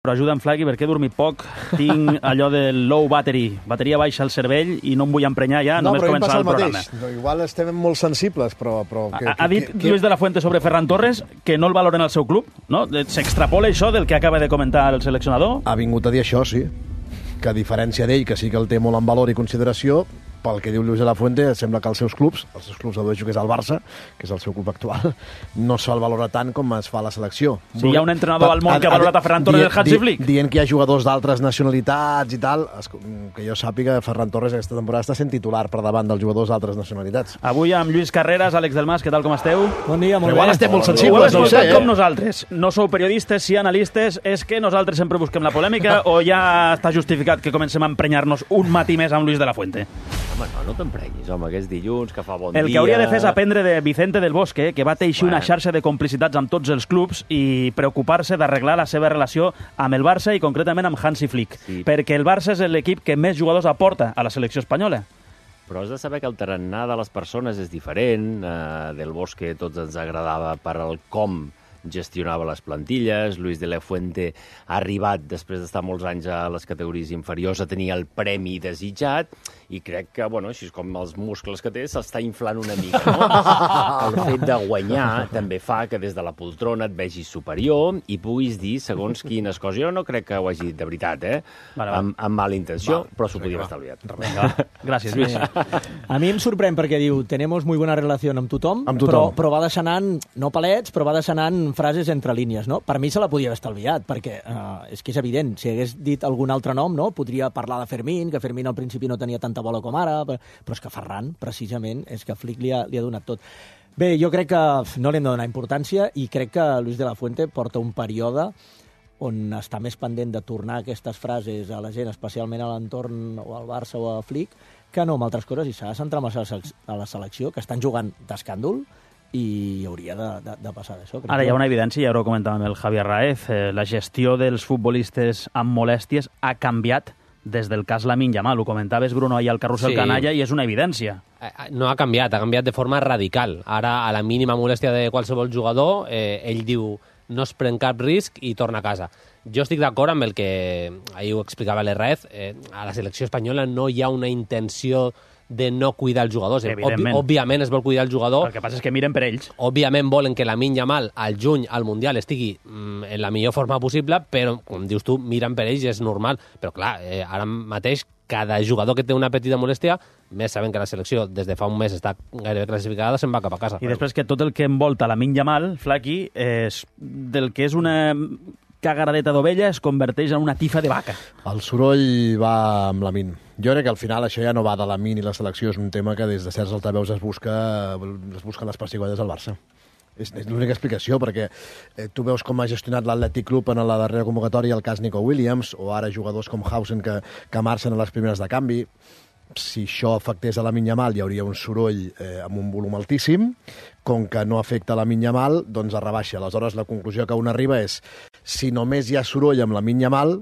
Però ajuda'm, Flaqui, perquè he dormit poc. Tinc allò del low battery, bateria baixa al cervell, i no em vull emprenyar ja, només començar el programa. No, igual estem molt sensibles, però... Ha dit Lluís de la Fuente sobre Ferran Torres que no el valoren al seu club, no? S'extrapola això del que acaba de comentar el seleccionador? Ha vingut a dir això, sí. Que a diferència d'ell, que sí que el té molt en valor i consideració, pel que diu Lluís de la Fuente, sembla que els seus clubs dedueixo que és el Barça, que és el seu club actual, no se'l valora tant com es fa a la selecció. Si hi ha un entrenador al món que ha valorat a Ferran Torres del Hansi Flick. Dient que hi ha jugadors d'altres nacionalitats i tal, que jo sàpiga, Ferran Torres aquesta temporada està sent titular per davant dels jugadors d'altres nacionalitats. Avui amb Lluís Carreras, Àlex Delmas, què tal, com esteu? Bon dia, molt bé. Igual estem molt sensibles, no ho sé, com nosaltres. No sou periodistes, sí analistes. És que nosaltres sempre busquem la polèmica o ja està justificat que comencem a emprenyar-nos un matí més amb Lluís de la Fuente? Home, no t'emprenyis, home, que és dilluns, que fa bon dia... El que hauria de fer és aprendre de Vicente del Bosque, que va teixir una xarxa de complicitats amb tots els clubs i preocupar-se d'arreglar la seva relació amb el Barça i concretament amb Hansi Flick, perquè el Barça és l'equip que més jugadors aporta a la selecció espanyola. Però has de saber que el tarannà de les persones és diferent. Del Bosque tots ens agradava per al com gestionava les plantilles. Luis de la Fuente ha arribat, després d'estar molts anys a les categories inferiors, a tenir el premi desitjat, i crec que, bueno, així com els muscles que té, s'està inflant una mica, no? El fet de guanyar també fa que des de la poltrona et vegis superior i puguis dir segons quines coses. Jo no crec que ho hagi dit de veritat, amb mala intenció, però s'ho podíem estalviat. Gràcies, Lluís. A mi em sorprèn perquè diu tenemos muy buena relación amb tothom, però va deixar anant, no palets, però va deixar anant frases entre línies, no? Per mi se la podia haver estalviat, perquè és que és evident, si hagués dit algun altre nom, no? Podria parlar de Fermín, que Fermín al principi no tenia tanta bola com ara, però és que Ferran, precisament, és que Flick li ha donat tot. Bé, jo crec que no li hem de donar importància i crec que Luis de la Fuente porta un període on està més pendent de tornar aquestes frases a la gent, especialment a l'entorn o al Barça o a Flick, que no amb altres coses, i s'ha de centrar més a la selecció, que estan jugant d'escàndol, i hauria de passar d'això. Ara hi ha una evidència, ja ho comentàvem el Javier Raez, la gestió dels futbolistes amb molèsties ha canviat des del cas Lamine Yamal. Ho comentaves, Bruno, ahir al Carrusel Canalla, i és una evidència. No ha canviat de forma radical. Ara, a la mínima molèstia de qualsevol jugador, ell diu no es pren cap risc i torna a casa. Jo estic d'acord amb el que ahir ho explicava l'Herrez. A la selecció espanyola no hi ha una intenció de no cuidar els jugadors. Òbviament es vol cuidar el jugador. El que passa és que miren per ells. Òbviament volen que Lamine Yamal al juny, al Mundial, estigui en la millor forma possible, però, com dius tu, miren per ells i és normal. Però, clar, ara mateix cada jugador que té una petita molèstia, més sabent que la selecció des de fa un mes està gairebé classificada, se'n va cap a casa. I després que tot el que envolta Lamine Yamal, Flaqui, és del que és una cagaradeta d'ovella es converteix en una tifa de vaca. El soroll va amb Lamine. Jo crec que al final això ja no va de Lamine i la selecció, és un tema que des de certs altaveus es busquen les pessigolles al Barça. És l'única explicació, perquè tu veus com ha gestionat l'Atlètic Club en la darrera convocatòria el cas Nico Williams, o ara jugadors com Hausen que marxen a les primeres de canvi. Si això afectés a Lamine Yamal hi hauria un soroll amb un volum altíssim. Com que no afecta a Lamine Yamal, doncs es rebaixa. Aleshores, la conclusió que un arriba és si només hi ha soroll amb Lamine Yamal,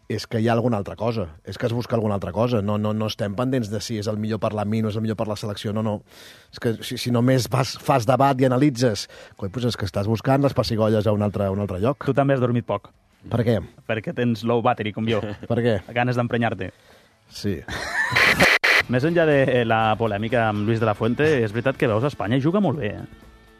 és que hi ha alguna altra cosa, és que es busca alguna altra cosa. No estem pendents de si és el millor per Lamine o és el millor per la selecció, no. És que si només fas debat i analitzes, doncs és que estàs buscant les pessigolles a un altre lloc. Tu també has dormit poc. Per què? Perquè tens low battery, com jo. Per què? Ganes d'emprenyar-te. Sí. Més enllà de la polèmica amb Luis de la Fuente, és veritat que veus a Espanya i juga molt bé.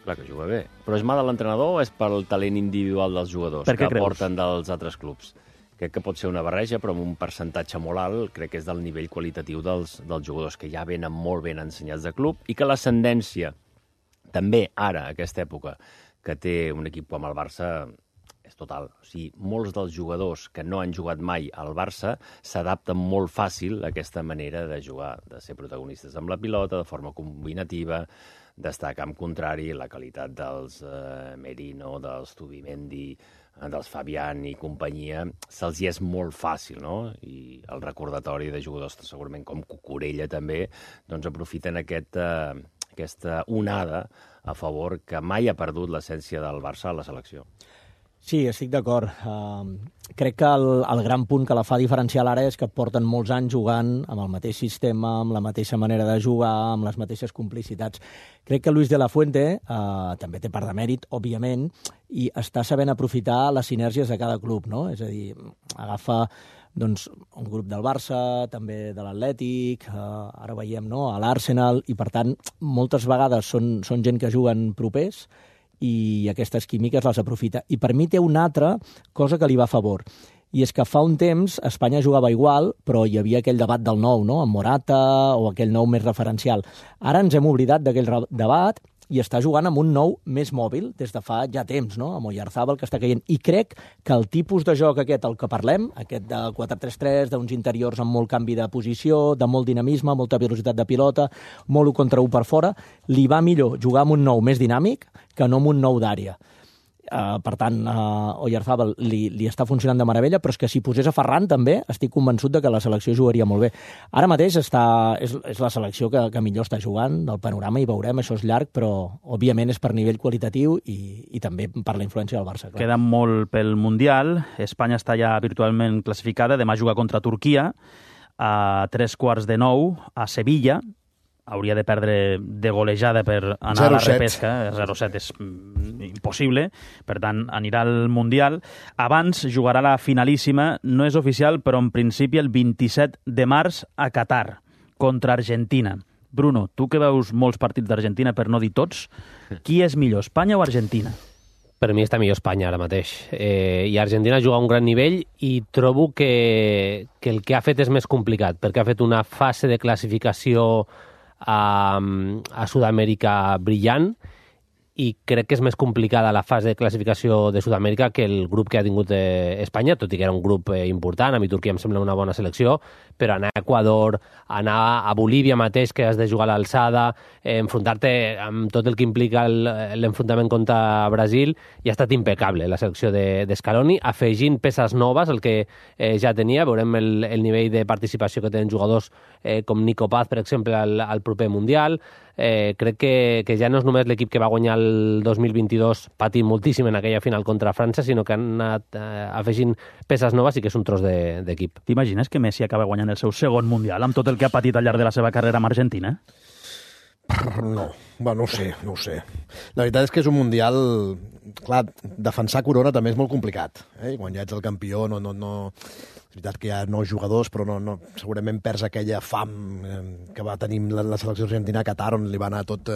Clar que juga bé. Però és mà de l'entrenador o és pel talent individual dels jugadors que aporten dels altres clubs? Crec que pot ser una barreja, però amb un percentatge molt alt, crec que és del nivell qualitatiu dels jugadors, que ja venen molt ben ensenyats de club, i que l'ascendència, també ara, a aquesta època, que té un equip com el Barça, és total. O sigui, molts dels jugadors que no han jugat mai al Barça s'adapten molt fàcil a aquesta manera de jugar, de ser protagonistes amb la pilota, de forma combinativa, d'estar a camp contrari, la qualitat dels Merino, dels Zubimendi, dels Fabián i companyia, se'ls hi és molt fàcil, no? I el recordatori de jugadors segurament com Cucurella també, doncs aprofiten aquesta onada a favor que mai ha perdut l'essència del Barça a la selecció. Sí, estic d'acord. Crec que el gran punt que la fa diferencial ara és que porten molts anys jugant amb el mateix sistema, amb la mateixa manera de jugar, amb les mateixes complicitats. Crec que Luis de la Fuente també té part de mèrit, òbviament, i està sabent aprofitar les sinergies de cada club, no? És a dir, agafa doncs, un grup del Barça, també de l'Atlètic, ara veiem a l'Arsenal, i per tant, moltes vegades són gent que juguen propers, i aquestes químiques les aprofita. I per mi té una altra cosa que li va a favor, i és que fa un temps Espanya jugava igual, però hi havia aquell debat del nou, no? Amb Morata, o aquell nou més referencial. Ara ens hem oblidat d'aquell debat i està jugant amb un nou més mòbil des de fa ja temps, no? Amb Oyarzábal, que està caient. I crec que el tipus de joc aquest, el que parlem, aquest de 4-3-3, d'uns interiors amb molt canvi de posició, de molt dinamisme, molta velocitat de pilota, molt 1 contra 1 per fora, li va millor jugar amb un nou més dinàmic que no amb un nou d'àrea. Per tant, Oyarzábal li està funcionant de meravella, però és que si posés a Ferran també estic convençut de que la selecció jugaria molt bé. Ara mateix és la selecció que millor està jugant del panorama, i veurem, això és llarg, però òbviament és per nivell qualitatiu i també per la influència del Barça. Clar. Queda molt pel Mundial, Espanya està ja virtualment classificada, demà juga contra Turquia a 3:15 a Sevilla. Hauria de perdre de golejada per anar a la repesca. 0-7 és impossible, per tant, anirà al Mundial. Abans jugarà la finalíssima, no és oficial, però en principi el 27 de març a Qatar, contra Argentina. Bruno, tu que veus molts partits d'Argentina, per no dir tots, qui és millor, Espanya o Argentina? Per mi està millor Espanya ara mateix. I Argentina juga a un gran nivell i trobo que el que ha fet és més complicat, perquè ha fet una fase de classificació a Sud-amèrica brillant, i crec que és més complicada la fase de classificació de Sud-amèrica que el grup que ha tingut Espanya, tot i que era un grup important. A mi Turquia em sembla una bona selecció, però anar a Equador, anar a Bolívia mateix, que has de jugar a l'alçada, enfrontar-te amb tot el que implica l'enfrontament contra Brasil, i ha estat impecable la selecció de Scaloni, afegint peces noves, el que ja tenia. Veurem el nivell de participació que tenen jugadors com Nico Paz, per exemple, al proper Mundial. Crec que ja no és només l'equip que va guanyar el 2022 patint moltíssim en aquella final contra França, sinó que han anat afegint peces noves, i que és un tros d'equip. T'imagines que Messi acaba guanyant el seu segon Mundial amb tot el que ha patit al llarg de la seva carrera amb Argentina? No, no ho sé. La veritat és que és un Mundial... Clar, defensar Corona també és molt complicat. Quan ja ets el campió, és veritat que hi ha nous jugadors, però segurament perds aquella fam que va tenir la selecció argentina a Qatar, on li va anar tot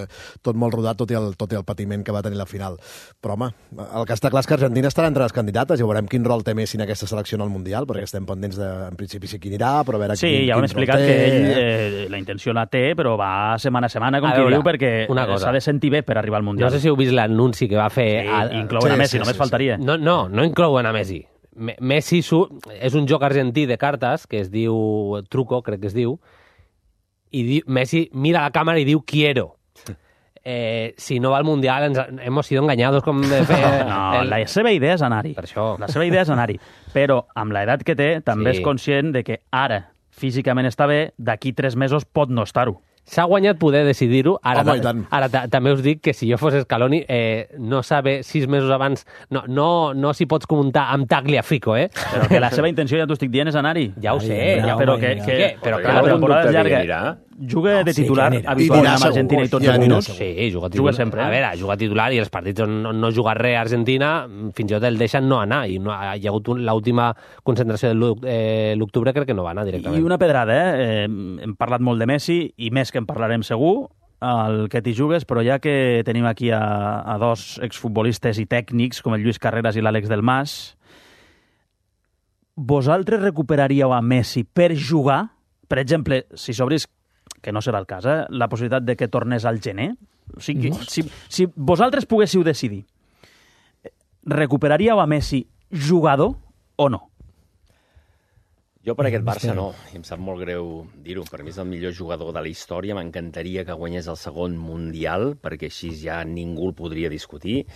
molt rodat, tot i el patiment que va tenir la final. Però, home, el que està clar és que Argentina estarà entre les candidates, i veurem quin rol té Messi en aquesta selecció en el Mundial, perquè estem pendents en principi sí qui anirà, però a veure quin rol té. Sí, ja ho hem explicat que ell la intenció la té, però va setmana a setmana, com qui diu, perquè s'ha de sentir bé per arribar al Mundial. No sé si heu vist l'anunci que va fer... Inclouen a Messi, només faltaria. No inclouen a Messi. Messi és un joc argentí de cartes que es diu truco, crec que es diu, i Messi mira la càmera i diu quiero. Si no va al Mundial hemos sido engañados. La seva idea és anar-hi. Per això. La seva idea és anar-hi. Però amb l'edat que té també és conscient de que ara físicament està bé, d'aquí 3 mesos pot no estar-ho. S'ha guanyat poder decidir-ho. Ara també us dic que si jo fos Scaloni, no saber 6 mesos abans... No s'hi pots comptar amb Tagliafico, Però que la seva intenció, ja t'ho estic dient, és anar-hi. Ja ho sé. Però que la temporada és llarga. Juga de titular habitualment amb Argentina i tots els minuts. Sí, juga titular. Juga sempre. A veure, juga titular, i els partits on no juga res a Argentina, fins i tot el deixen no anar. I hi ha hagut l'última concentració de l'octubre, crec que no va anar directament. I una pedrada, hem parlat molt de Messi, i més que en parlarem segur, el que t'hi jugues, però ja que tenim aquí a dos exfutbolistes i tècnics, com el Lluís Carreras i l'Àlex Del Mas, vosaltres recuperaríeu a Messi per jugar? Per exemple, si s'obrís, que no serà el cas, la possibilitat de que tornés al gener? O sigui, si vosaltres poguéssiu decidir, recuperaríeu a Messi jugador o no? Jo per aquest Barça no, i em sap molt greu dir-ho. Per mi és el millor jugador de la història, m'encantaria que guanyés el segon Mundial, perquè així ja ningú el podria discutir,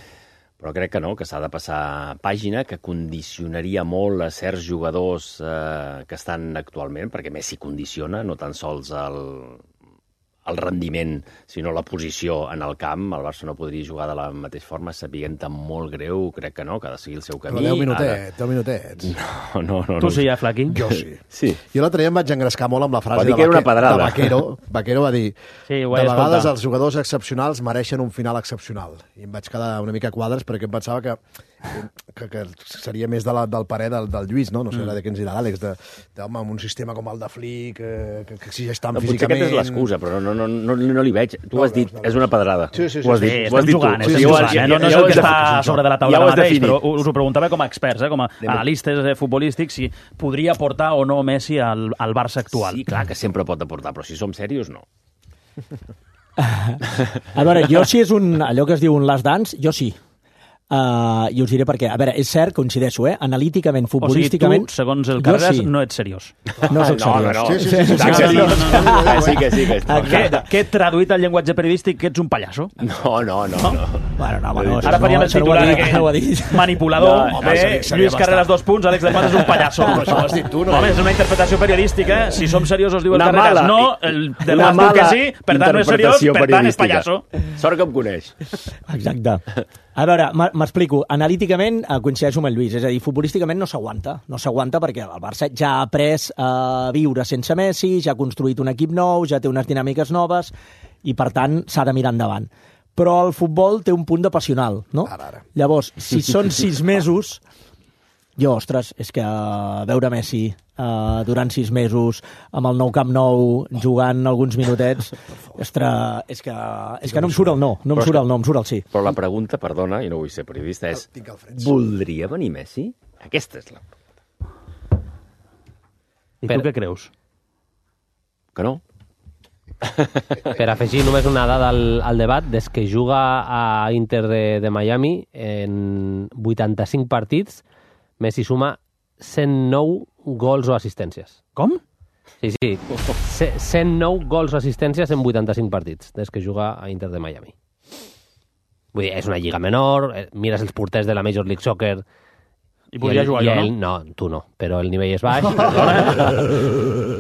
però crec que no, que s'ha de passar pàgina, que condicionaria molt a certs jugadors que estan actualment, perquè Messi condiciona, no tan sols el rendiment, sinó la posició en el camp. El Barça no podria jugar de la mateixa forma, sabent tan molt greu, crec que no, que ha de seguir el seu camí. Però 10 minutets. No. Tu sí, Flaqui? Jo sí. Sí. Jo l'altre dia em vaig engrescar molt amb la frase que era una pedrada. de Vaquero. Vaquero va dir, sí, de vegades els jugadors excepcionals mereixen un final excepcional. I em vaig quedar una mica a quadres perquè em pensava que seria més del parer del Lluís, no? No sé de què ens dirà l'Àlex, home, amb un sistema com el de Flick, que exigeix tant físicament... Potser aquesta és l'excusa, però no li veig. Tu ho has dit, és una pedrada. Sí. Ho has dit tu. No és el que està sobre de la taula mateix, però us ho preguntava com a experts, com a analistes futbolístics, si podria aportar o no Messi al Barça actual. Sí, clar que sempre pot aportar, però si som serios, no. A veure, jo si és allò que es diu un last dance, jo sí. I us diré per què. A veure, és cert, coincideixo, analíticament, futbolísticament... O sigui, tu, segons el Carreras, no ets seriós. No soc seriós. No. Sí que. Què traduït al llenguatge periodístic que ets un pallasso? No. Bueno, no. Ara faríem el titular manipulador. Lluís Carreras 2 punts, Àlex Delmas és un pallasso. Això ho has dit tu, no? Home, és una interpretació periodística. Si som seriosos, diu el Carreras. No, el Delmas diu que sí, per tant no és seriós, per tant és pallasso. Sort que em coneix. Exacte. A veure, m'explico. Analíticament coincideixo amb el Lluís, és a dir, futbolísticament no s'aguanta. No s'aguanta perquè el Barça ja ha après a viure sense Messi, ja ha construït un equip nou, ja té unes dinàmiques noves i, per tant, s'ha de mirar endavant. Però el futbol té un punt de passional, no? Ara. Llavors, si són 6 mesos... Jo, ostres, és que veure Messi durant 6 mesos amb el Nou Camp Nou jugant alguns minutets, ostres, és que no em surt el no em surt el sí. Però la pregunta, perdona, i no vull ser periodista, és voldria venir Messi? Aquesta és la pregunta. I tu què creus? Que no? Per afegir només una dada al debat, des que juga a Inter de Miami en 85 partits, Messi suma 109 gols o assistències. Com? Sí. 109 gols o assistències en 85 partits, des que juga a Inter de Miami. Vull dir, és una lliga menor, mires els porters de la Major League Soccer... I podria jugar jo, no? No, tu no, però el nivell és baix.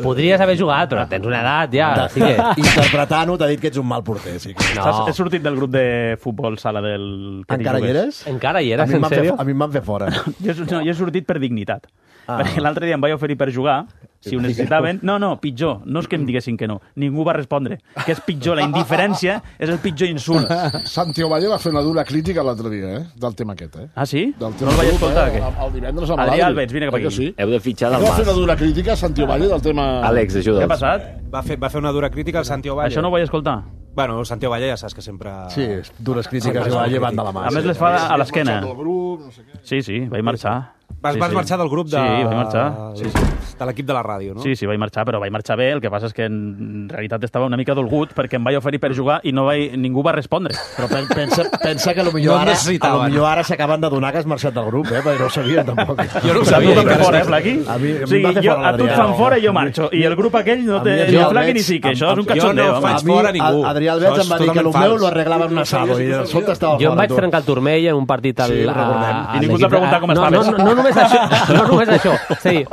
Podries haver jugat, però tens una edat ja. Així que... Interpretant-ho, t'ha dit que ets un mal porter. Sí que... No. He sortit del grup de futbol sala del... Encara hi eres? Encara hi eres, en sèrio? A mi em van fer fora. Jo he sortit per dignitat. Perquè l'altre dia em vaig oferir per jugar, si ho necessitaven... No, pitjor. No és que em diguessin que no. Ningú va respondre. Que és pitjor. La indiferència és el pitjor insult. Santi Ovalle va fer una dura crítica l'altre dia, del tema aquest, Ah, sí? No el vaig escoltar, què? El divendres amb l'Adri. Adrià Alves, vine cap aquí. Sí? Heu de fitxar del Va Mas. fer una dura crítica a Santi Ovalle del tema... Àlex, ajuda'ls. Què ha passat? Va fer una dura crítica al Santi Ovalle. Això no ho vaig escoltar. Bueno, el Santi Ovalle ja saps que sempre... Sí, dures crítiques que va llevant de la mà. A més, les fa a l'esquena. No sé què. Sí, vaig marxar. Vas marxar del grup de... Sí, vaig marxar. De l'equip de la ràdio, no? Sí, vaig marxar, però vaig marxar bé. El que passa és que en realitat estava una mica dolgut perquè em vaig oferir per jugar i ningú va respondre. Però pensa que potser ara s'acaben d'adonar que has marxat del grup, perquè no ho sabien tampoc. Jo no ho sabia. Tu també fora, Flaqui? A mi va fer fora a tu et fan fora i jo marxo. I el grup aquell no té ni Flaqui ni sí, que això és un cachondeo. Jo no faig fora a ningú. Adrià Alves em va dir que el meu lo arreglava en un asado i de sobte estava fora. Jo em vaig trencar el turmell en un partit al... Sí, recordem. I ningú t'ha preguntat com estaves. No només això. Sí,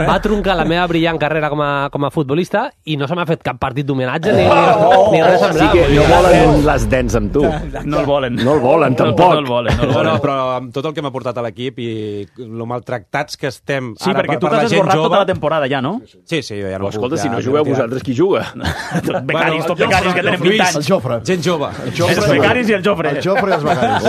va truncar la meva brillant carrera com a futbolista i no se m'ha fet cap partit d'homenatge ni res semblant. Sí que no volen un Last Dance amb tu. No el volen. No el volen, tampoc. No el volen. No, però amb tot el que m'ha portat a l'equip i lo maltractats que estem ara per la gent jove... Sí, perquè tu t'has esborrat tota la temporada ja, no? Sí, jo ja no puc. Escolta, si no jugueu vosaltres, qui juga? Becaris, tot becaris que tenen 20 anys. El Jofre. Gent jove. Els becaris i el Jofre. El Jofre i els becaris.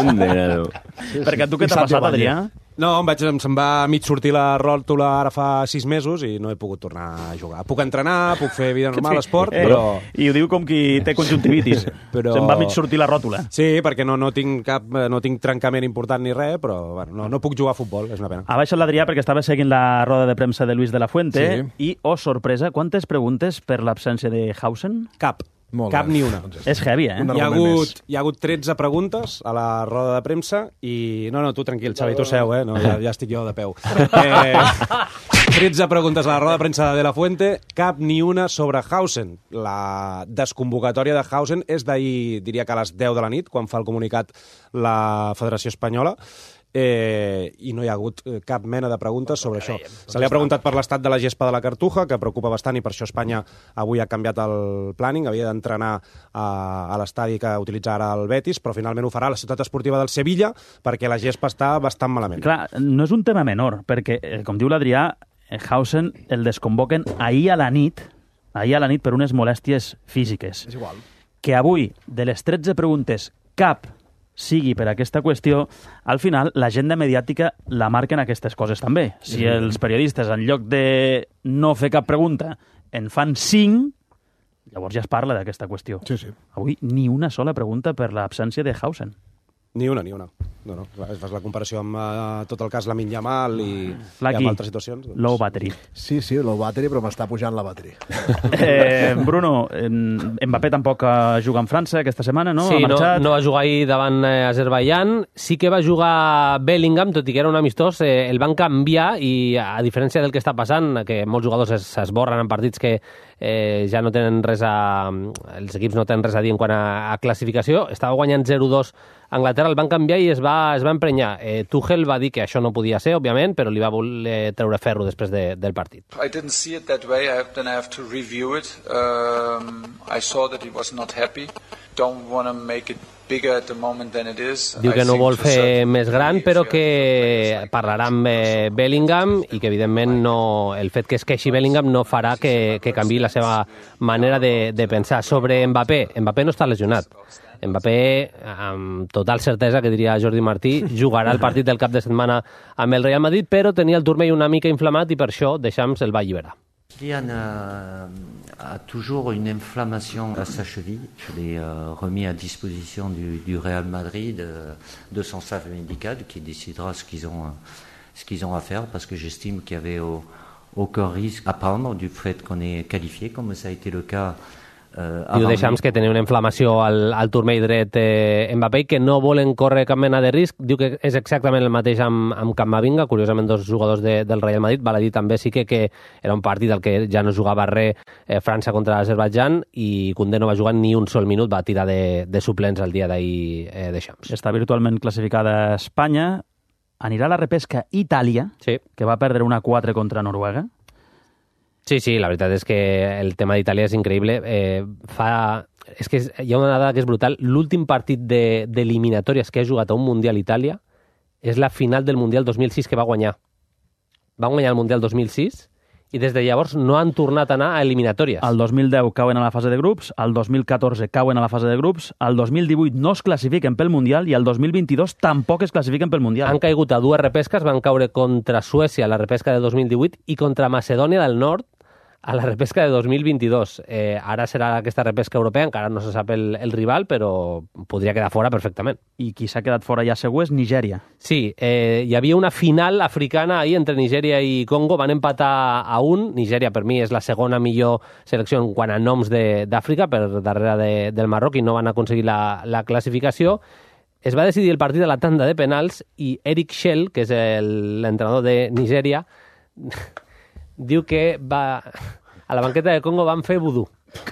Perquè tu què t'ha passat, Adrià? No, se'm va mig sortir la ròtula ara fa 6 mesos i no he pogut tornar a jugar. Puc entrenar, puc fer vida normal, esport, però... I ho diu com qui té conjuntivitis. Se'm va mig sortir la ròtula. Sí, perquè no tinc trencament important ni res, però bueno, no puc jugar a futbol, és una pena. Ha baixat l'Adrià perquè estava seguint la roda de premsa de Luis de la Fuente i, oh, sorpresa, quantes preguntes per l'absència de Hausen? Cap ni una. És heavy, Hi ha hagut 13 preguntes a la roda de premsa i... No, tu tranquil, Xavi, tu seu, no, ja estic jo de peu. 13 preguntes a la roda de premsa de la Fuente, cap ni una sobre Hausen. La desconvocatòria de Hausen és d'ahir, diria que a les 10 de la nit, quan fa el comunicat la Federació Espanyola. i no hi ha hagut cap mena de preguntes sobre això. Se li ha preguntat per l'estat de la gespa de la Cartuja, que preocupa bastant, i per això Espanya avui ha canviat el planning, havia d'entrenar a l'estadi que utilitza ara el Betis, però finalment ho farà a la ciutat esportiva del Sevilla, perquè la gespa està bastant malament. Clar, no és un tema menor, perquè, com diu l'Adrià, Hausen el desconvoquen ahir a la nit per unes molèsties físiques. És igual. Que avui, de les 13 preguntes, cap sigui per aquesta qüestió, al final l'agenda mediàtica la marquen aquestes coses també. Si els periodistes, en lloc de no fer cap pregunta, en fan 5, llavors ja es parla d'aquesta qüestió. Sí, sí. Avui ni una sola pregunta per l'absència de Hausen. Ni una. No. Fas la comparació amb tot el cas Lamine Yamal i amb altres situacions. Doncs... Low battery. Sí, low battery, però m'està pujant la battery. Bruno, Mbappé tampoc juga en França aquesta setmana, no? Sí, ha marxat. no va jugar ahir davant Azerbaiyán. Sí que va jugar Bellingham, tot i que era un amistós. El van canviar i, a diferència del que està passant, que molts jugadors s'esborren en partits que ja no tenen res els equips no tenen res a dir en quant a classificació, estava guanyant 0-2 Anglaterra, el van canviar i es va emprenyar. Tuchel va dir que això no podia ser, òbviament, però li va voler treure ferro després del partit. I didn't see it that way. Then I have to review it. I saw that he was not happy. Don't want to make it bigger at the moment than it is. Diu que no vol fer més gran, però que parlarà amb Bellingham i que, evidentment, el fet que es queixi Bellingham no farà que canviï la seva manera de pensar. Sobre Mbappé no està lesionat. Mbappé, amb total certesa, que diria Jordi Martí, jugarà el partit del cap de setmana amb el Real Madrid, però tenia el turmell una mica inflamat i per això Deschamps el va alliberar. Kylian a toujours une inflammation à sa cheville. Je l'ai remis à disposition du Real Madrid, de son staff médical, qui décidera ce qu'ils ont à faire, parce que j'estime qu'il y avait aucun risque à prendre du fait qu'on est qualifié, comme ça a été le cas. Diu Deschamps que tenia una inflamació al turmell dret Mbappé i que no volen córrer cap mena de risc. Diu que és exactament el mateix amb Camavinga, curiosament dos jugadors del Real Madrid. Val a dir també sí que era un partit al que ja no jugava res França contra Azerbaiyán i Koundé no va jugar ni un sol minut, va tirar de suplents el dia d'ahir Deschamps. Està virtualment classificada Espanya. Anirà a la repesca Itàlia, sí, que va perdre 1-4 contra Noruega. Sí, la veritat és que el tema d'Itàlia és increïble. És que hi ha una dada que és brutal. L'últim partit d'eliminatòries que ha jugat a un Mundial Itàlia és la final del Mundial 2006 que va guanyar. Va guanyar el Mundial 2006 i des de llavors no han tornat a anar a eliminatòries. El 2010 cauen a la fase de grups, el 2014 cauen a la fase de grups, el 2018 no es classifiquen pel Mundial i el 2022 tampoc es classifiquen pel Mundial. Han caigut a dues repesques, van caure contra Suècia a la repesca de 2018 i contra Macedònia del Nord a la repesca de 2022. Ara serà aquesta repesca europea, encara no se sap el rival, però podria quedar fora perfectament. I qui s'ha quedat fora ja segur és Nigèria. Sí, hi havia una final africana ahir entre Nigèria i Congo, van empatar a 1. Nigèria, per mi, és la segona millor selecció en quant a noms d'Àfrica, per darrere del Marroc, i no van aconseguir la classificació. Es va decidir el partit a la tanda de penals i Eric Shell, que és l'entrenador de Nigèria, diu que a la banqueta de Congo van fer vudú.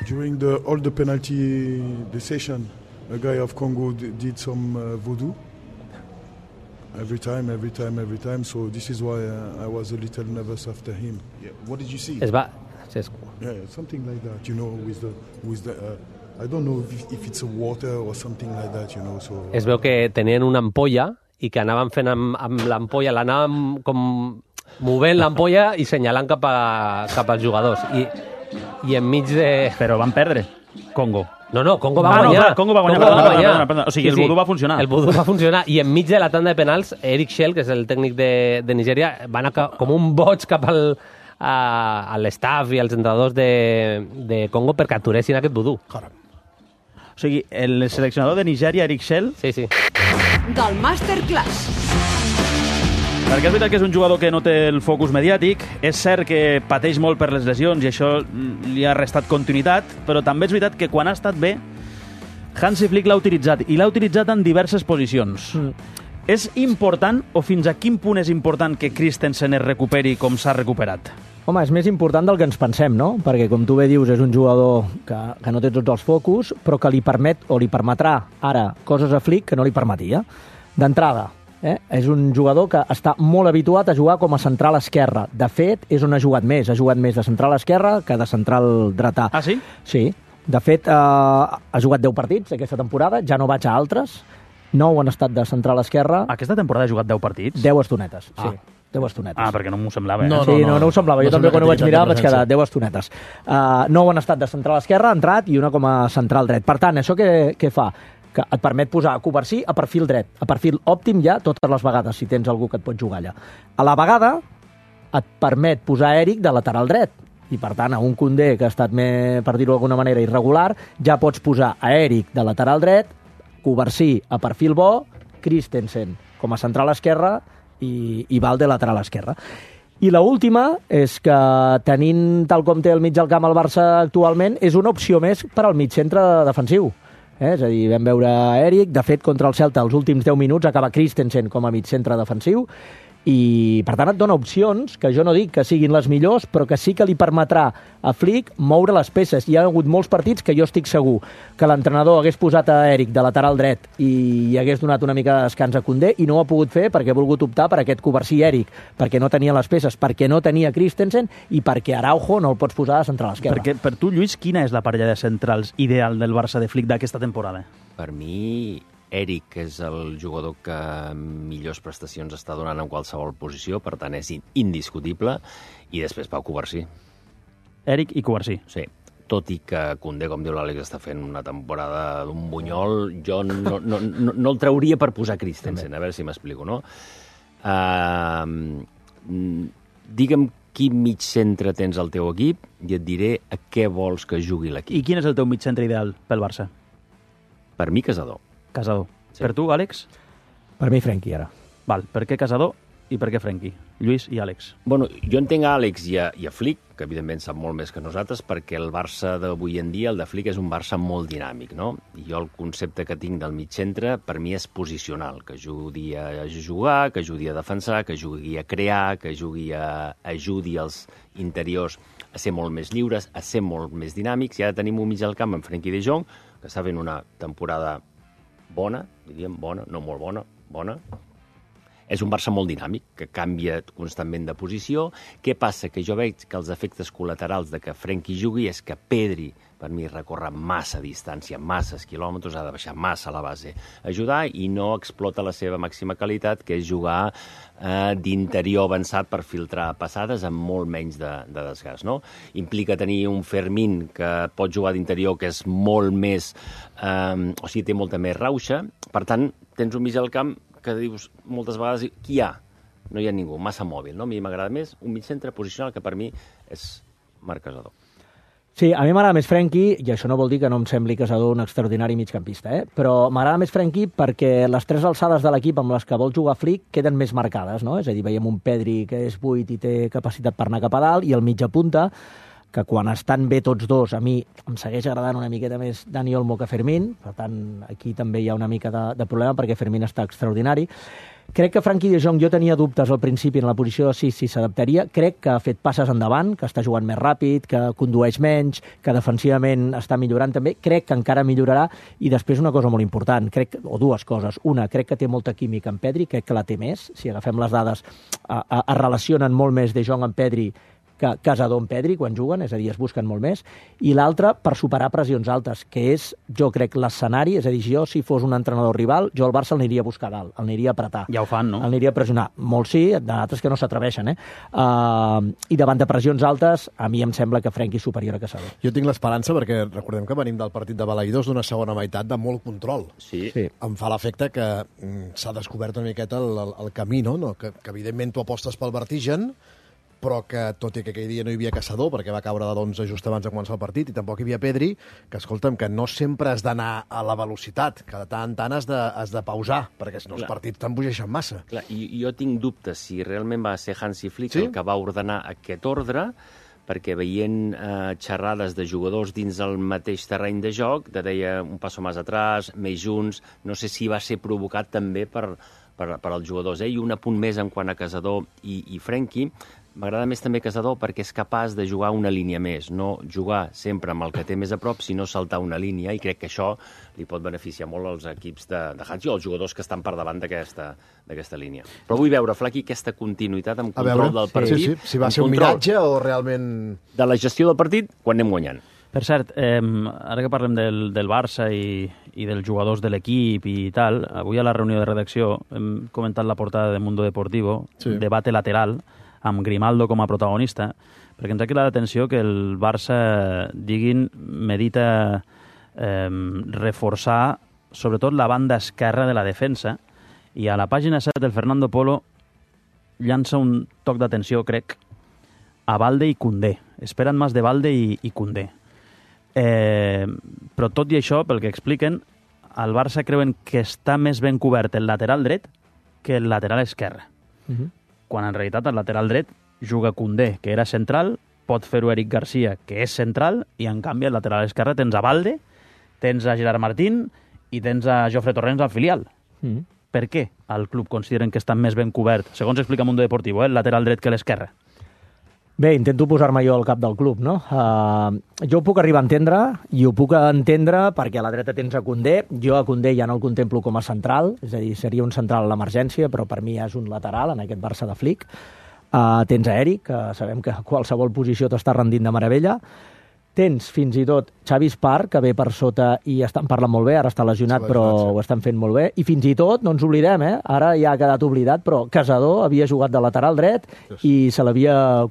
During all the penalty decision, a guy of Congo did some voodoo. Every time. So this is why I was a little nervous after him. Yeah. What did you see? Yeah, something like that. You know, with the I don't know if it's a water or something like that. You know. So es veu que tenien una ampolla i que anaven fent amb l'ampolla, l'anaven com movent l'ampolla i senyalant cap als jugadors. I enmig de... Però van perdre, Congo. No, Congo va guanyar. No, Congo va guanyar. Perdona. O sigui, el vudú va funcionar. El vudú va funcionar. I enmig de la tanda de penals, Eric Shell, que és el tècnic de Nigèria, va anar com un boig cap a l'estaf i als entrenadors de Congo perquè aturessin aquest vudú. O sigui, el seleccionador de Nigèria, Eric Shell... Sí. Del Masterclass. Perquè és veritat que és un jugador que no té el focus mediàtic, és cert que pateix molt per les lesions i això li ha restat continuïtat, però també és veritat que quan ha estat bé, Hansi Flick l'ha utilitzat, i l'ha utilitzat en diverses posicions. És important, o fins a quin punt és important que Christensen es recuperi com s'ha recuperat? Home, és més important del que ens pensem, no? Perquè, com tu bé dius, és un jugador que no té tots els focus, però que li permet o li permetrà ara coses a Flick que no li permetia. D'entrada, És un jugador que està molt habituat a jugar com a central esquerre. De fet, és on ha jugat més de central esquerre que de central dretà. Ah, sí? Sí. De fet, ha jugat 10 partits aquesta temporada, ja no vaig a altres. 9 han estat de central esquerra. Aquesta temporada ha jugat 10 partits? 10 estonetes, sí. 10 estonetes. Perquè no m'ho semblava. No ho semblava. Jo també quan ho vaig mirar vaig quedar 10 estonetes. 9 han estat de central esquerra, ha entrat, i una com a central dret. Per tant, això què fa? Que et permet posar Covarsí a perfil dret, a perfil òptim ja totes les vegades, si tens algú que et pot jugar allà. A la vegada et permet posar Eric de lateral dret, i per tant a un Koundé que ha estat, per dir-ho d'alguna manera, irregular, ja pots posar a Eric de lateral dret, Covarsí a perfil bo, Christensen com a central esquerra i Valde lateral esquerra. I l'última és que, tenint tal com té el mig del camp el Barça actualment, és una opció més per al mig-centre defensiu. És a dir, vam veure Eric, de fet, contra el Celta, els últims 10 minuts acaba Christensen com a mig-centre defensiu, i per tant et dona opcions que jo no dic que siguin les millors, però que sí que li permetrà a Flick moure les peces. Hi ha hagut molts partits que jo estic segur que l'entrenador hagués posat a Eric de lateral dret i hagués donat una mica de descans a Koundé, i no ho ha pogut fer perquè ha volgut optar per aquest Covarsí-Eric, perquè no tenia les peces, perquè no tenia Christensen i perquè Araujo no el pots posar a central esquerra. Perquè per tu, Lluís, quina és la parella de centrals ideal del Barça de Flick d'aquesta temporada? Per mi, Eric és el jugador que millors prestacions està donant en qualsevol posició, per tant és indiscutible, i després Pau Covarsí. Eric i Covarsí. Sí, tot i que Koundé, com diu l'Àlex, està fent una temporada d'un bunyol, jo no el trauria per posar Christensen, a veure si m'explico, no? Digue'm quin mig centre tens al teu equip i et diré a què vols que jugui l'equip. I quin és el teu mig centre ideal pel Barça? Per mi, Casador. Casador. Sí. Per tu, Àlex? Per mi, Frenkie, ara. Val, per què Casador i per què Frenkie? Lluís i Àlex. Bueno, jo entenc a Àlex i a Flick, que evidentment sap molt més que nosaltres, perquè el Barça d'avui en dia, el de Flick, és un Barça molt dinàmic, no? I jo el concepte que tinc del mig centre, per mi és posicional, que ajudi a jugar, que ajudi a defensar, que ajudi a crear, que ajudi els interiors a ser molt més lliures, a ser molt més dinàmics, i ara tenim un mig al camp amb Frenkie de Jong, que està fent una temporada bona, diríem bona, no molt bona, bona. És un Barça molt dinàmic, que canvia constantment de posició. Què passa? Que jo veig que els efectes col·laterals de que Frenkie jugui és que Pedri, per mi, recorre massa distància, masses quilòmetres, ha de baixar massa a la base, ajudar, i no explota la seva màxima qualitat, que és jugar d'interior avançat per filtrar passades amb molt menys de desgast, no? Implica tenir un Fermín que pot jugar d'interior, que és molt més... o sigui, té molta més rauxa. Per tant, tens un mig al camp que dius moltes vegades, qui hi ha? No hi ha ningú, massa mòbil, no? A mi m'agrada més un mig centre posicional, que per mi és Marc Casador. Sí, a mi m'agrada més Frenkie, i això no vol dir que no em sembli Casador un extraordinari migcampista, però m'agrada més Frenkie perquè les tres alçades de l'equip amb les que vol jugar Flick queden més marcades, no? És a dir, veiem un Pedri que és buit i té capacitat per anar cap a dalt, i el mitja punta, que quan estan bé tots dos, a mi em segueix agradant una miqueta més Dani Olmo que Fermín, per tant, aquí també hi ha una mica de problema perquè Fermín està extraordinari. Crec que Frenkie de Jong, jo tenia dubtes al principi en la posició de 6 si s'adaptaria. Crec que ha fet passes endavant, que està jugant més ràpid, que condueix menys, que defensivament està millorant també. Crec que encara millorarà. I després una cosa molt important, o dues coses. Una, crec que té molta química amb Pedri, crec que la té més. Si agafem les dades, es relacionen molt més de Jong amb Pedri que Casador amb Pedri quan juguen, és a dir, es busquen molt més. I l'altra, per superar pressions altes, que és, jo crec, l'escenari, és a dir, jo, si fos un entrenador rival, jo al Barça l'aniria a buscar dalt, l'aniria a apretar. Ja ho fan, no? L'aniria a pressionar. Molts sí, d'altres que no s'atreveixen, I davant de pressions altes, a mi em sembla que Frenkie és superior a Casador. Jo tinc l'esperança, perquè recordem que venim del partit de Balaïdos d'una segona meitat de molt control. Sí. Em fa l'efecte que s'ha descobert una miqueta el camí, no? Que evidentment tu apostes pel vertigen, però que, tot i que aquell dia no hi havia Casador, perquè va caure de d'11 just abans de començar el partit, i tampoc hi havia Pedri, que, escolta'm, que no sempre has d'anar a la velocitat, que de tant en tant has de pausar, perquè si no els partits t'embogeixen massa. Clar, i jo tinc dubtes si realment va ser Hansi Flick el que va ordenar aquest ordre, perquè veient xerrades de jugadors dins el mateix terreny de joc, deia un passo més atrás, més junts, no sé si va ser provocat també per als jugadors. I un apunt més en quant a Casador i Frenkie, m'agrada més també Casador perquè és capaç de jugar una línia més, no jugar sempre amb el que té més a prop, sinó saltar una línia, i crec que això li pot beneficiar molt als equips de Hansi o als jugadors que estan per davant d'aquesta línia. Però vull veure, Flaqui, aquesta continuïtat amb control del partit. Si va ser un miratge o realment... De la gestió del partit, quan anem guanyant. Per cert, ara que parlem del Barça i dels jugadors de l'equip i tal, avui a la reunió de redacció hem comentat la portada de Mundo Deportivo, debate lateral, amb Grimaldo com a protagonista, perquè ens ha cridat l'atenció que el Barça, medita reforçar sobretot la banda esquerra de la defensa, i a la pàgina 7 del Fernando Polo llança un toc d'atenció, crec, a Balde i Koundé. Esperen més de Balde i Koundé. Però tot i això, pel que expliquen, al Barça creuen que està més ben cobert el lateral dret que el lateral esquerre. Quan en realitat el lateral dret juga Koundé, que era central, pot fer-ho Eric Garcia, que és central, i en canvi al lateral esquerre tens a Balde, tens a Gerard Martín i tens a Jofre Torrens al filial. Per què al club consideren que està més ben cobert, segons explica Mundo Deportivo, el lateral dret que l'esquerre? Bé, intento posar-me jo al cap del club, no? Jo ho puc arribar a entendre, i ho puc entendre perquè a la dreta tens a Koundé. Jo a Koundé ja no el contemplo com a central, és a dir, seria un central a l'emergència, però per mi és un lateral en aquest Barça de Flick. Tens a Eric, que sabem que a qualsevol posició t'està rendint de meravella. Tens fins i tot Xavi Espar, que ve per sota i estan parlant molt bé, ara està lesionat, però ho estan fent molt bé. I fins i tot, no ens oblidem, ara ja ha quedat oblidat, però Casador havia jugat de lateral dret i se l'havia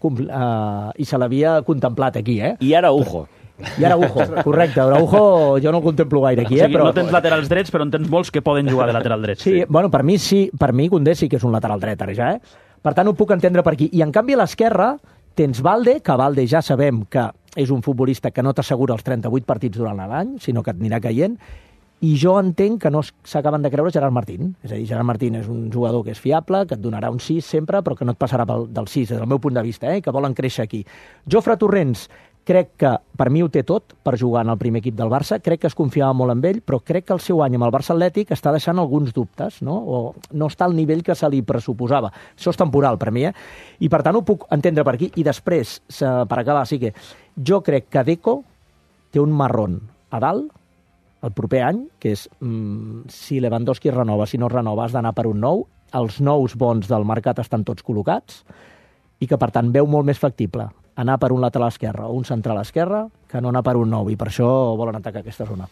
contemplat aquí. I ara Ujo. I ara Ujo, correcte. Araujo jo no el contemplo gaire aquí. O sigui, no tens laterals drets, però en tens molts que poden jugar de lateral dret. Sí, bueno, per mi sí, per mi Koundé sí que és un lateral dret, ara ja, Per tant, ho puc entendre per aquí. I en canvi a l'esquerra tens Balde, que Balde ja sabem que és un futbolista que no t'assegura els 38 partits durant l'any, sinó que et anirà caient, i jo entenc que no s'acaben de creure Gerard Martín. És a dir, Gerard Martín és un jugador que és fiable, que et donarà un 6 sempre, però que no et passarà del 6, des del meu punt de vista, que volen créixer aquí. Jofre Torrens, crec que per mi ho té tot per jugar en el primer equip del Barça, crec que es confiava molt en ell, però crec que el seu any amb el Barça Atlètic està deixant alguns dubtes, no? O no està al nivell que se li pressuposava. Això és temporal per mi, I per tant ho puc entendre per aquí. I després, per acabar, sí que jo crec que Deco té un marrón a dalt el proper any, que és si Lewandowski renova, si no renova, has d'anar per un nou. Els nous bons del mercat estan tots col·locats i que, per tant, veu molt més factible anar per un lateral esquerre o un central esquerre que no anar per un nou, i per això volen atacar aquesta zona.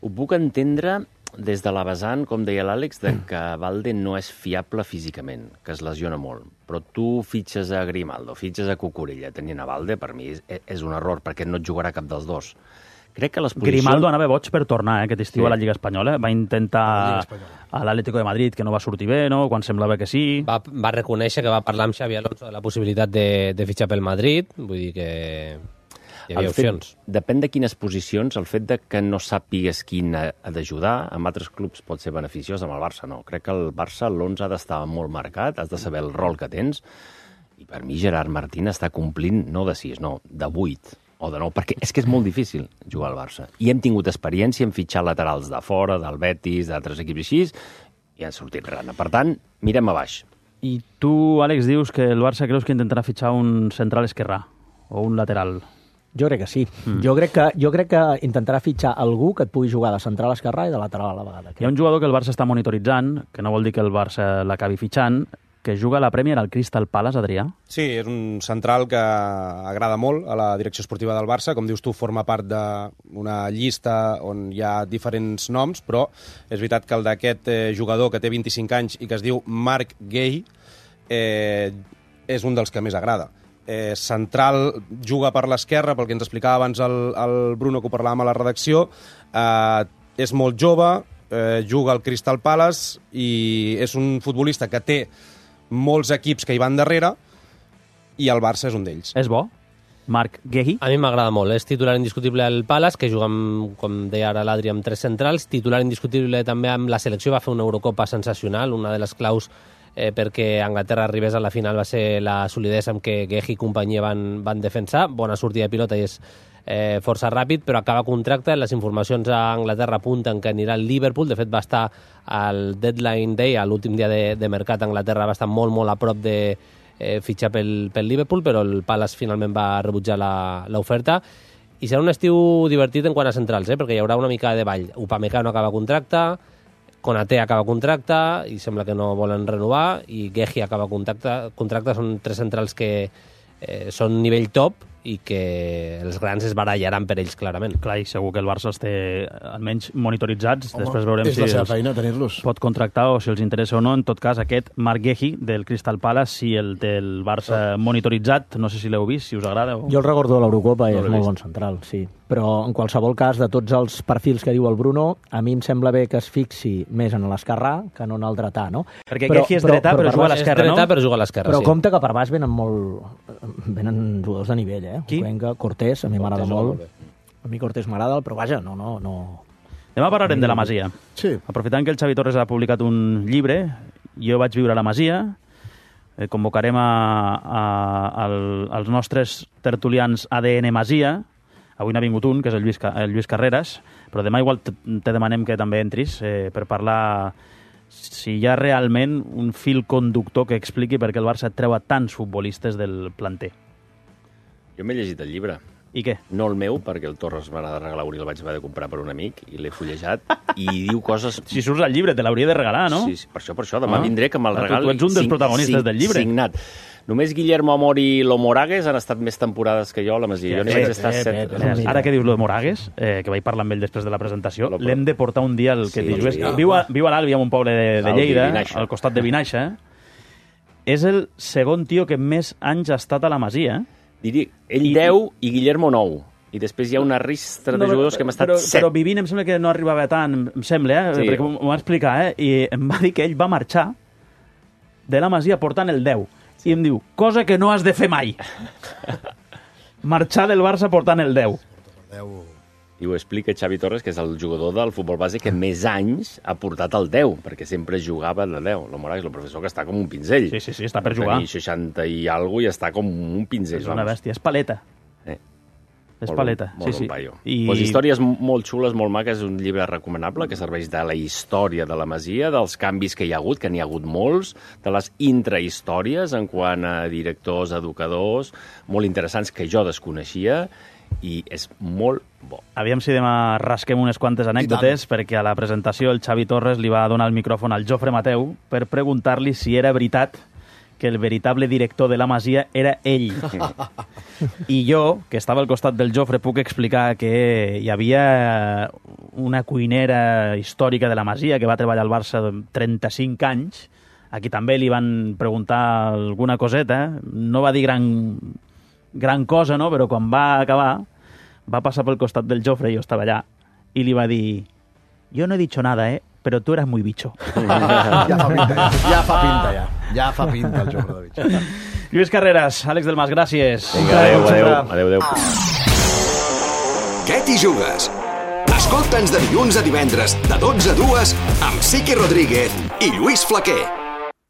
Ho puc entendre des de la vessant, com deia l'Àlex, de que Balde no és fiable físicament, que es lesiona molt. Però tu fitxes a Grimaldo, fitxes a Cucurella, tenint a Balde, per mi és un error, perquè no et jugarà cap dels dos. Crec que les posicions... Grimaldo anava boig per tornar aquest estiu a la Lliga Espanyola. Va intentar a l'Atlético de Madrid, que no va sortir bé, no? Quan semblava que sí. Va reconèixer que va parlar amb Xavi Alonso de la possibilitat de fitxar pel Madrid. Vull dir que hi havia opcions. Depèn de quines posicions. El fet de que no sàpigues quin ha d'ajudar, amb altres clubs pot ser beneficiós, amb el Barça no. Crec que el Barça, l'11 ha d'estar molt marcat, has de saber el rol que tens, i per mi Gerard Martín està complint no de 6, no, de 8. O de nou, perquè és que és molt difícil jugar al Barça. I hem tingut experiència en fitxar laterals de fora, del Betis, d'altres equips així, i han sortit rana. Per tant, mirem a baix. I tu, Àlex, dius que el Barça creus que intentarà fitxar un central esquerrà o un lateral? Jo crec que sí. Jo crec que intentarà fitxar algú que et pugui jugar de central esquerrà i de lateral a la vegada. Hi ha un jugador que el Barça està monitoritzant, que no vol dir que el Barça l'acabi fitxant, que juga a la Premier al Crystal Palace, Adrià. Sí, és un central que agrada molt a la direcció esportiva del Barça. Com dius tu, forma part d'una llista on hi ha diferents noms, però és veritat que el d'aquest jugador que té 25 anys i que es diu Marc Guehi és un dels que més agrada. Central, juga per l'esquerra, pel que ens explicava abans el Bruno, que ho parlàvem a la redacció. És molt jove, juga al Crystal Palace i és un futbolista que té molts equips que hi van darrere i el Barça és un d'ells. És bo? Marc Guehi? A mi m'agrada molt. És titular indiscutible al Palace, que juga, com deia ara l'Adri, amb 3 centrals. Titular indiscutible també amb la selecció. Va fer una Eurocopa sensacional. Una de les claus perquè Anglaterra arribés a la final va ser la solidesa amb què Guehi i companyia van defensar. Bona sortida de pilota i és força ràpid, però acaba contracte. Les informacions a Anglaterra apunten que anirà al Liverpool. De fet, va estar al deadline day, a l'últim dia de mercat a Anglaterra, va estar molt, molt a prop de fitxar pel Liverpool, però el Palace finalment va rebutjar l'oferta. I serà un estiu divertit en quant a centrals, perquè hi haurà una mica de ball. Upamecano acaba contracte, Konaté acaba contracte, i sembla que no volen renovar, i Guehi acaba contracte. Són 3 centrals que són nivell top i que els grans es barallaran per ells, clarament. Clar, i segur que el Barça els té almenys monitoritzats. Home, després veurem si la feina, tenir-los. Pot contractar o si els interessa o no. En tot cas, aquest Marc Guehi del Crystal Palace, si el té el Barça monitoritzat, no sé si l'heu vist, si us agrada. O... Jo el recordo de l'Eurocopa i és molt bon central, sí. Però en qualsevol cas, de tots els perfils que diu el Bruno, a mi em sembla bé que es fixi més en l'esquerrà que no en el dretà, no? Perquè Guehi és dretà, però juga a l'esquerra, no? És dretà, però juga a l'esquerra, però sí. compte que per baix venen jugadors de nivell, Qui? Cuenca, Cortés, a mi m'agrada molt. A mi Cortés m'agrada, però vaja, no. Demà parlarem de la Masia. Sí. Aprofitant que el Xavi Torres ha publicat un llibre, jo vaig viure a la Masia, convocarem als nostres tertulians ADN Masia. Avui n'ha vingut un, que és el Lluís Carreras, però demà igual te demanem que també entris per parlar si hi ha realment un fil conductor que expliqui per què el Barça treu a tants futbolistes del planter. Jo m'he llegit el llibre. I què? No el meu, perquè el Torres m'ha de regalar un i el vaig haver de comprar per un amic, i l'he fullejat, i diu coses... Si surts al llibre, te l'hauria de regalar, no? Sí, per això. Demà vindré que me'l regali. Tu ets un dels protagonistes del llibre. Signat. Només Guillermo Amor i Lo Moragues han estat més temporades que jo a la Masia. Jo n'hi vaig estar 7. Ara que dius Lo Moragues, que vaig parlar amb ell després de la presentació, l'hem de portar un dia al que dius. Viu a l'Àlvia, en un poble de Lleida, al costat de Vinaixa. És el segon tio que més anys ha estat a la Masia. Diria, ell 10 i Guillermo 9. I després hi ha una ristra de jugadors que hem estat 7. Però vivint em sembla que no arribava tant, em sembla, perquè m'ho va explicar, i em va dir que ell va marxar de la Masia portant el 10. I em diu, cosa que no has de fer mai. Marxar del Barça portant el 10. I ho explica Xavi Torres, que és el jugador del futbol base que més anys ha portat el 10, perquè sempre jugava de 10. Lo Moragues, el professor, que està com un pinzell. Sí, està per jugar. Tenir 60 i alguna i està com un pinzell. És una bèstia, és paleta. És paleta, sí. Pues històries molt xules, molt maques, un llibre recomanable que serveix de la història de la Masia, dels canvis que hi ha hagut, que n'hi ha hagut molts, de les intrahistòries en quant a directors, educadors, molt interessants que jo desconeixia, i és molt bo. Aviam si demà rasquem unes quantes anècdotes, perquè a la presentació el Xavi Torres li va donar el micròfon al Jofre Mateu per preguntar-li si era veritat que el veritable director de la Masia era ell. I jo, que estava al costat del Jofre, puc explicar que hi havia una cuinera històrica de la Masia que va treballar al Barça 35 anys. Aquí també li van preguntar alguna coseta. No va dir gran cosa, no? Però quan va acabar, va passar pel costat del Jofre, jo estava allà, i li va dir: yo no he dicho nada, pero tú eras muy bicho. Ja fa pinta el Jofre de bicho. Lluís Carreras, Àlex Delmas, gràcies. Vinga, adéu. Què t'hi jugues? Escolta'ns de dilluns a divendres, de 12 a 2, amb Siqui Rodríguez i Lluís Flaquer.